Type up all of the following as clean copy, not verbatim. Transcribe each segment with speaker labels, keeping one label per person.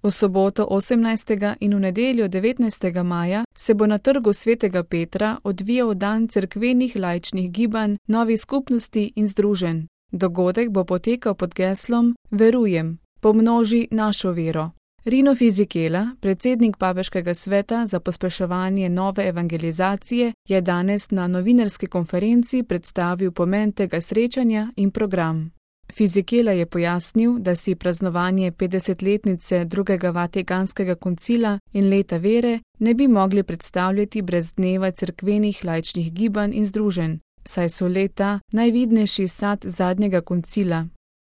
Speaker 1: V soboto 18. in v nedeljo 19. maja se bo na trgu Svetega Petra odvijal dan cerkvenih laičnih gibanj, novih skupnosti in združenj. Dogodek bo potekal pod geslom Verujem, pomnoži našo vero. Rino Fisichella, predsednik Papeškega sveta za pospeševanje nove evangelizacije, je danes na novinarski konferenci predstavil pomen tega srečanja in program. Fisichella je pojasnil, da si praznovanje 50-letnice drugega Vatikanskega koncila in leta vere ne bi mogli predstavljati brez dneva cerkvenih laičnih gibanj in združenj, saj so leta najvidnejši sad zadnjega koncila.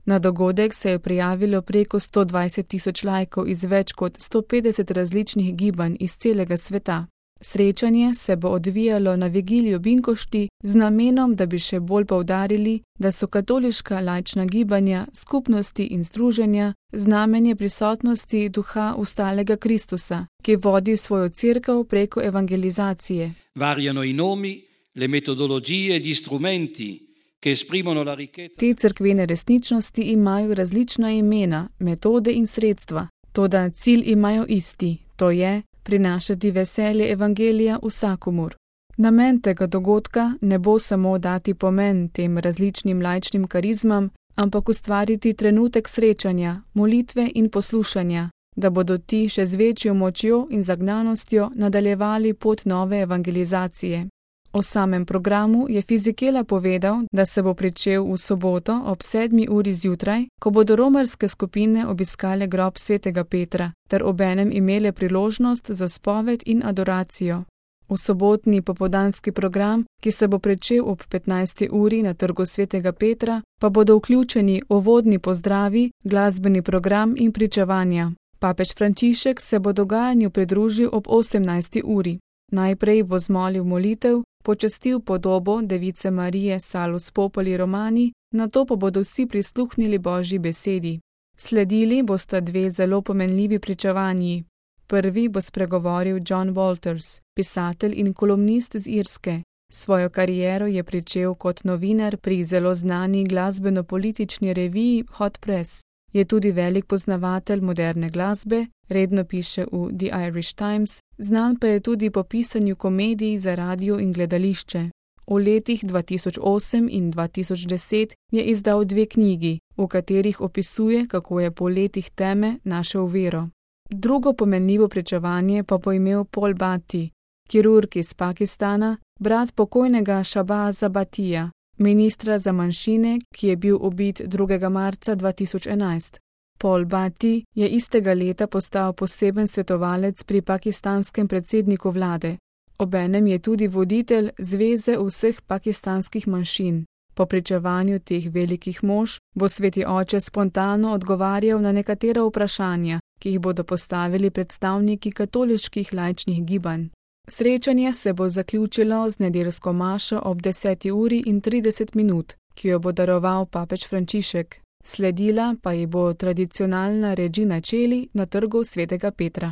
Speaker 1: Na dogodek se je prijavilo preko 120.000 laikov iz več kot 150 različnih gibanj iz celega sveta. Srečanje se bo odvijalo na vigilijo Binkošti z namenom, da bi še bolj poudarili, da so katoliška laična gibanja, skupnosti in združenja znamenje prisotnosti duha ustalega Kristusa, ki vodi svojo cerkev preko evangelizacije.
Speaker 2: Variano i nomi, le metodologije, gli strumenti, che esprimono la ricchezza.
Speaker 1: Te cerkvene resničnosti imajo različna imena, metode in sredstva, toda cilj imajo isti, to je prinašati veselje evangelija vsakomur. Namen tega dogodka ne bo samo dati pomen tem različnim laičnim karizmam, ampak ustvariti trenutek srečanja, molitve in poslušanja, da bodo ti še z večjo močjo in zagnanostjo nadaljevali pot nove evangelizacije. O samem programu je Fisichella povedal, da se bo pričel v soboto ob 7. uri zjutraj, ko bodo romarske skupine obiskale grob Svetega Petra, ter obenem imele priložnost za spoved in adoracijo. V sobotni popoldanski program, ki se bo pričel ob 15. uri na trgu Svetega Petra, pa bodo vključeni uvodni pozdravi, glasbeni program in pričevanja. Papež Frančišek se bo dogajanju pridružil ob 18. uri. Najprej bo zmolil molitev, počastil podobo Device Marije Salus Populi Romani, nato pa bodo vsi prisluhnili Božji besedi. Sledili bosta dve zelo pomenljivi pričevanji. Prvi bo spregovoril John Walters, pisatelj in kolumnist z Irske. Svojo kariero je pričel kot novinar pri zelo znani glasbeno-politični reviji Hot Press. Je tudi velik poznavatelj moderne glasbe, redno piše v The Irish Times, znan pa je tudi po pisanju komedij za radio in gledališče. V letih 2008 in 2010 je izdal 2 knjigi, v katerih opisuje, kako je po letih teme našel vero. Drugo pomenljivo pričevanje pa bo imel Paul Bhatti, kirurg iz Pakistana, brat pokojnega Shahbaza Bhattija, ministra za manjšine, ki je bil ubit 2. marca 2011. Paul Bhatti je istega leta postal poseben svetovalec pri pakistanskem predsedniku vlade. Obenem je tudi voditelj Zveze vseh pakistanskih manjšin. Po pričevanju teh velikih mož bo Sveti oče spontano odgovarjal na nekatera vprašanja, ki jih bodo postavili predstavniki katoliških laičnih gibanj. Srečanje se bo zaključilo z nedeljsko mašo ob 10:30, ki jo bo daroval papež Frančišek. Sledila pa ji bo tradicionalna Regina Coeli na trgu Svetega Petra.